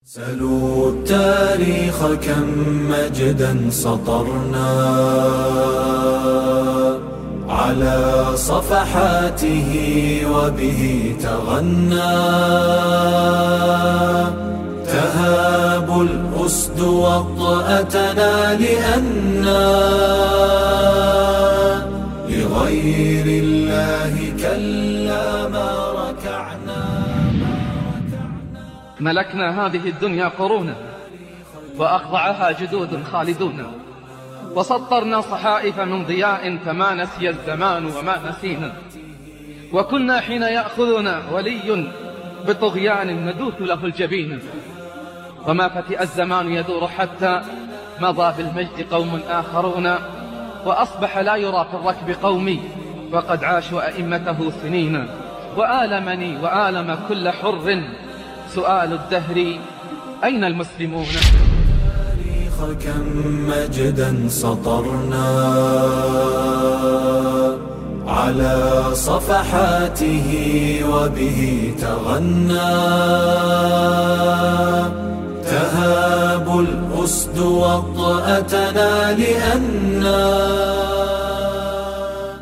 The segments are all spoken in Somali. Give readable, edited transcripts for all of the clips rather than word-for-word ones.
سلوا التاريخ كم مجدا سطرنا على صفحاته وبه تغنى تهاب الأسد وطأتنا لأنا لغير الله كلا ما ركعنا. ملكنا هذه الدنيا قرونا وأخضعها جدود خالدون، وسطرنا صحائف من ضياء فما نسي الزمان وما نسينا، وكنا حين يأخذنا ولي بطغيان ندوث له الجبين، وما فتئ الزمان يدور حتى مضى بالمجد قوم آخرون، وأصبح لا يرى في الركب قومي وقد عاشوا أئمته سنين. وآلمني وآلم كل حر سؤال الدهر أين المسلمون؟ كم مجدا سطرنا على صفحاته وبه تغنى تهاب الأسد وطأتنا لأننا.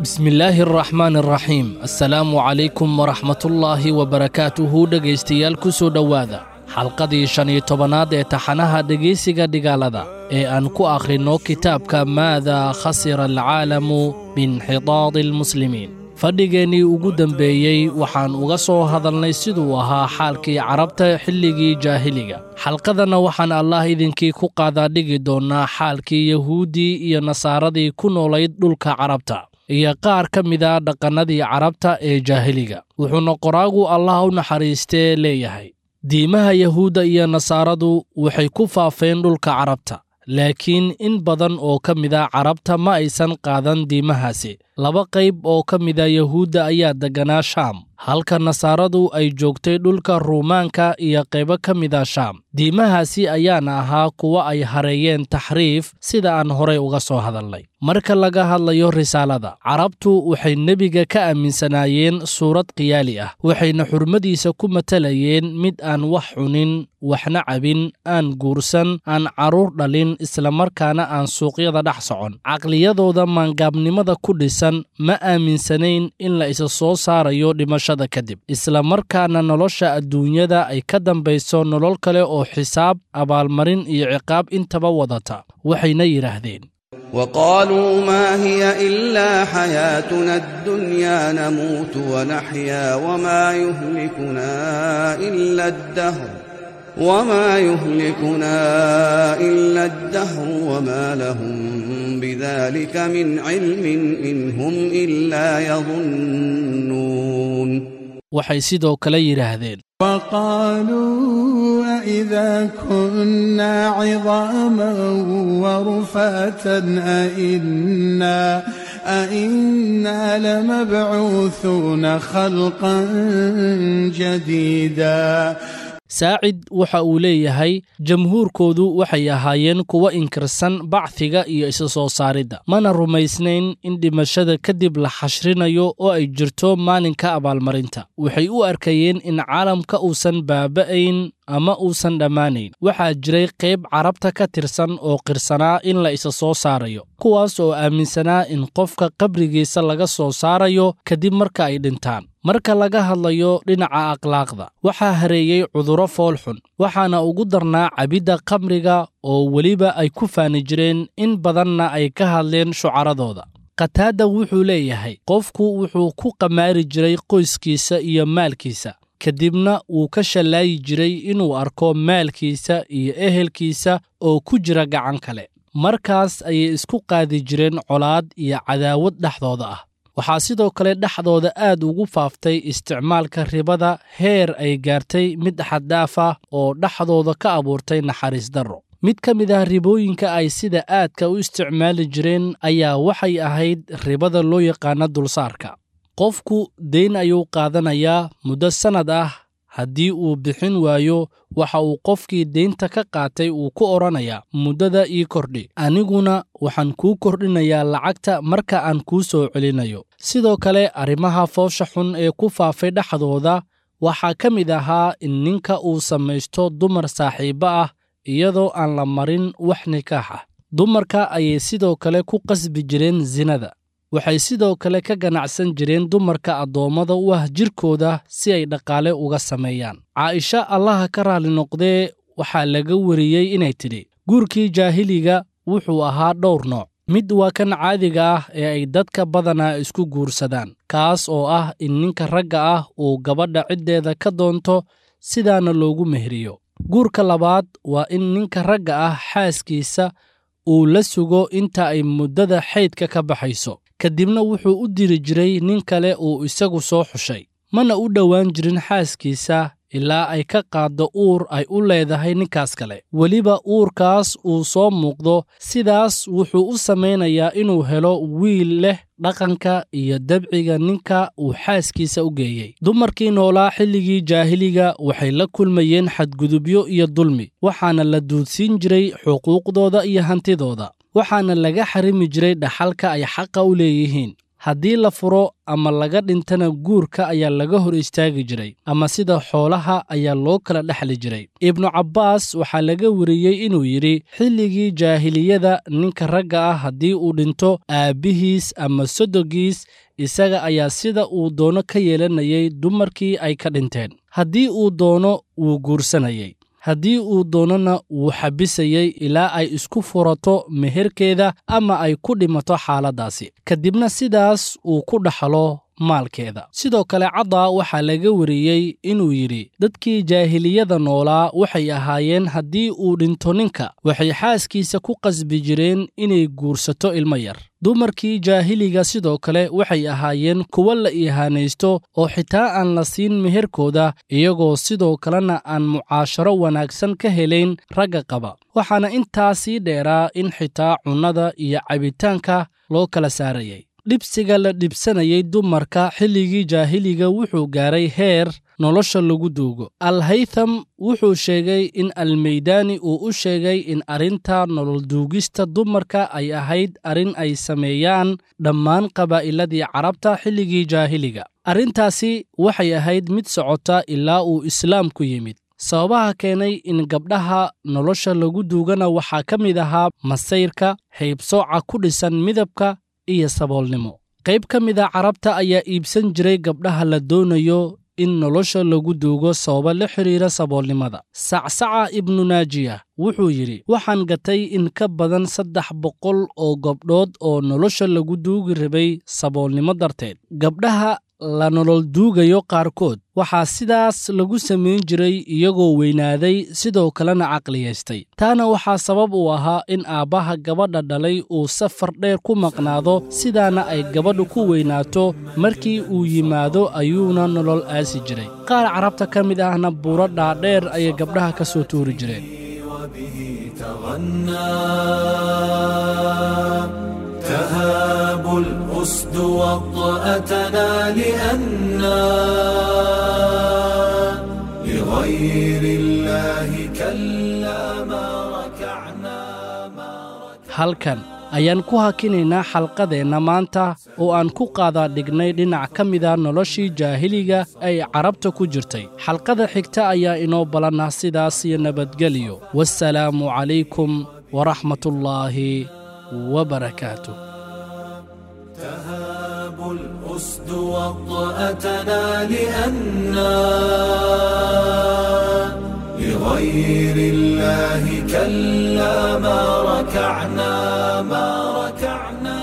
بسم الله الرحمن الرحيم. Assalaamu calaykum waraxmatullaahi wabarakaatuhu. Dhegaystayaal, ku soo dhowaada xalqadii 15aad ee taxanaha dhegaysiga dhigaalada ee aan ku akhrinno kitaabka Maadaa khasira alcaalamu biinxidaadi almuslimiin. Fadhigeennii ugu dembeeyey waxaan uga soo hadalnay siduu ahaa xaalkii carabta xilligii jaahiliga. Xalqadanna waxaan Allaah idinkii ku qaadaa dhigi doonnaa xaalkii yahuuddii iyo nasaaradii ku noolayd dhulka carabta iyo qaar ka mida dhaqannadii carabta ee jaahiliga. Wuxuuna qoraagu Allah u naxariistee leeyahay: diimaha yahuudda iyo nasaaradu waxay ku faafeen dhulka carabta, laakiin in badan oo ka mida carabta ma aysan qaadan diimahaasi. Laba qayb oo ka mida yahuudda ayaa degganaa Shaam, halka nasaaradu ay joogtay dhulka Ruumaanka iyo qaybo ka mida Shaam. Diimahaasi ayaana ahaa kuwa ay hareeyeen taxriif, sida aan horay uga soo hadalnay. Marka laga hadlayo risaalada, carabtu waxay nebiga ka aaminsanaayeen suurad khiyaali ah, waxayna xurmadiisa ku matalayeen mid aan wax cunin, waxna cabin, aan guursan, aan carruur dhalin, islamarkaana aan suuqyada dhex socon. Caqliyadooda maangaabnimada ku dhisan ma aaminsanayn in la isa soo saarayo dhimashada kadib, islamarkaana nolosha adduunyada ay ka dambayso nolol kale oo xisaab, abaalmarin iyo ciqaab intaba wadata. Waxayna yidhaahdeen: وقالوا ما هي إلا حياتنا الدنيا نموت ونحيا وما يهلكنا إلا الدهر وما يهلكنا إلا الدهر وما لهم بذلك من علم إن هم إلا يظنون. Waxay sidoo kale yidhaahdeen: وقالوا أإذا كنا عظاما ورفاتا أإنا لمبعوثون خلقا جديدا. Saacid waxa uu leeyahay: jamhuurkoodu waxay ahaayeen kuwo inkirsan bacdiga iyo isa soo saaridda, mana rumaysnayn in dhimashada kadib la xashrinayo oo ay jirto maalinka abaalmarinta. Waxay u arkayeen in caalamka uusan baaba'ayn ama uusan dhammaanayn. Waxaa jiray qayb carabta ka tirsan oo qirsanaa in la isa soo saarayo, kuwaas oo aaminsanaa in qofka qabrigiisa laga soo saarayo kadib marka ay dhintaan. Marka laga hadlayo dhinaca akhlaaqda, waxaa hareeyey cudurro foolxun, waxaana ugu darnaa cabidda khamriga oo weliba ay ku faani jireen, in badanna ay ka hadleen shucaradooda. Qataada wuxuu leeyahay: qofku wuxuu ku qamaari jiray qoyskiisa iyo maalkiisa, kadibna wuu ka shallaayi jiray inuu arko maalkiisa iyo ehelkiisa oo ku jira gacan kale. Markaas ayay isku qaadi jireen colaad iyo cadaawad dhexdooda ah. Waxaa sidoo kale dhexdooda aad ugu faaftay isticmaalka ribada, heer ay gaartay mid xaddaaf ah oo dhexdooda ka abuurtay naxariis darro. Mid ka mid ah ribooyinka ay sida aadka u isticmaali jireen ayaa waxay ahayd ribada loo yaqaano dulsaarka. Qofku deyn ayuu qaadanayaa muddo sannad ah. Haddii uu bixin waayo, waxa uu qofkii deynta ka qaatay uu ku odhanayaa: muddada ii kordhi, aniguna waxaan kuu kordhinayaa lacagta marka aan kuu soo celinayo. Sidoo kale arrimaha foosha xun ee ku faafay dhexdooda Waxaa ka mid ahaa in ninka uu samaysto dumar saaxiibbo ah iyadoo aan la marin wax nikaax ah. Dumarka ayay sidoo kale ku qasbi jireen sinada. Waxay sidoo kale ka ganacsan jireen dumarka addoommada u ah jirkooda si ay dhaqaale uga sameeyaan. Caaisha Allaha ka raali noqdee waxaa laga wariyey inay tidhi: guurkii jaahiliga wuxuu ahaa dhowr nooc. Mid waa kan caadiga ah ee ay dadka badanaa isku guursadaan, kaas oo ah in ninka ragga ah uu gabadha ciddeeda ka doonto sidaana loogu meheriyo. Guurka labaad waa in ninka ragga ah xaaskiisa uu la sugo inta ay muddada xaydka ka baxayso, kadibna wuxuu u diri jiray nin kale uu isagu soo xushay, mana u dhowaan jirin xaaskiisa ilaa ay ka qaaddo uur ay u leedahay ninkaas kale, weliba uurkaas uu soo muuqdo. Sidaas wuxuu u samaynayaa inuu helo wiil leh dhaqanka iyo dabciga ninka uu xaaskiisa u geeyey. Dumarkii noolaa xilligii jaahiliga waxay la kulmayeen xadgudubyo iyo dulmi, waxaana la duudsiin jiray xuquuqdooda iyo hantidooda, waxaana laga xarimi jiray dhaxalka ay xaqa u leeyihiin. Haddii la furo ama laga dhintana guurka ayaa laga hor istaagi jiray, ama sida xoolaha ayaa loo kala dhexli jiray. Ibnu Cabbaas waxaa laga wariyey inuu yidhi: xilligii jaahiliyada ninka ragga ah haddii uu dhinto, aabbihiis ama sodogiis isaga ayaa sida uu doono ka yeelanayay dumarkii ay ka dhinteen. Haddii uu doono wuu guursanayay, haddii uu doonona wuu xabisayey ilaa ay isku furato meherkeeda ama ay ku dhimato xaaladdaasi, kadibna sidaas uu ku dhaxlo maalkeeda. Sidoo kale Caddaa waxaa laga wariyey inuu yidhi: dadkii jaahiliyada noolaa waxay ahaayeen haddii uu dhinto ninka, waxay xaaskiisa ku qasbi jireen inay guursato ilmo yar. Dumarkii jaahiliga sidoo kale waxay ahaayeen kuwo la ihaanaysto oo xitaa aan la siin meherkooda, iyagoo sidoo kalena aan mucaasharo wanaagsan ka helayn ragga qaba. Waxaana intaa sii dheeraa in xitaa cunnada iyo cabitaanka loo kala saarayay. Dhibsiga la dhibsanayay dumarka xilligii jaahiliga wuxuu gaaray heer nolosha lagu duugo. Alhaytham wuxuu sheegay in Almaydaani uu u sheegay in arrinta nolol duugista dumarka ay ahayd arrin ay sameeyaan dhammaan qabaa'iladii Carabta xilligii jaahiliga. Arrintaasi waxay ahayd mid socota ilaa uu Islaamku yimid. Sababaha keenay in gabdhaha nolosha lagu duugana waxaa ka mid ahaa masayrka, haybsooca ku dhisan midabka iyo saboolnimo. Qayb ka mid a Carabta ayaa iibsan jiray gabdhaha la doonayo in nolosha lagu duugo sababo la xiriira saboolnimada. Sacsaca Ibnu Naajiya wuxuu yidhi: waxaan gatay in ka badan 300 oo gabdhood oo nolosha lagu duugi rabay saboolnimo darteed. Gabdhaha la nolol duugayo qaarkood waxaa sidaas lagu samayn jiray iyagoo weynaaday, sidoo kalena caqliyaystay. Taana waxaa sabab u ahaa in aabbaha gabadha dhalay uu safar dheer ku maqnaado, sidaana ay gabadhu ku weynaato. Markii uu yimaado ayuuna nolol aasi jiray. Qaar Carabta ka mid ahna buuro dhaadheer ayay gabdhaha ka soo tuuri jireen. تهاب الأسد وطأتنا لأننا لغير الله كلا ما ركعنا. Halkan ayaan ku hakinaynaa xalqadeenna maanta oo aan ku qaadaa dhignay dhinac ka mida noloshii jaahiliga ay Carabta ku jirtay. Xalqada xigta ayaa inoo balannah. Sidaas iyo nabadgelyo. Wassalaamu calaykum waraxmatullaahi وبركاته. تهاب الأسد وطأتنا لأننا لغير الله كلا ما ركعنا ما ركعنا.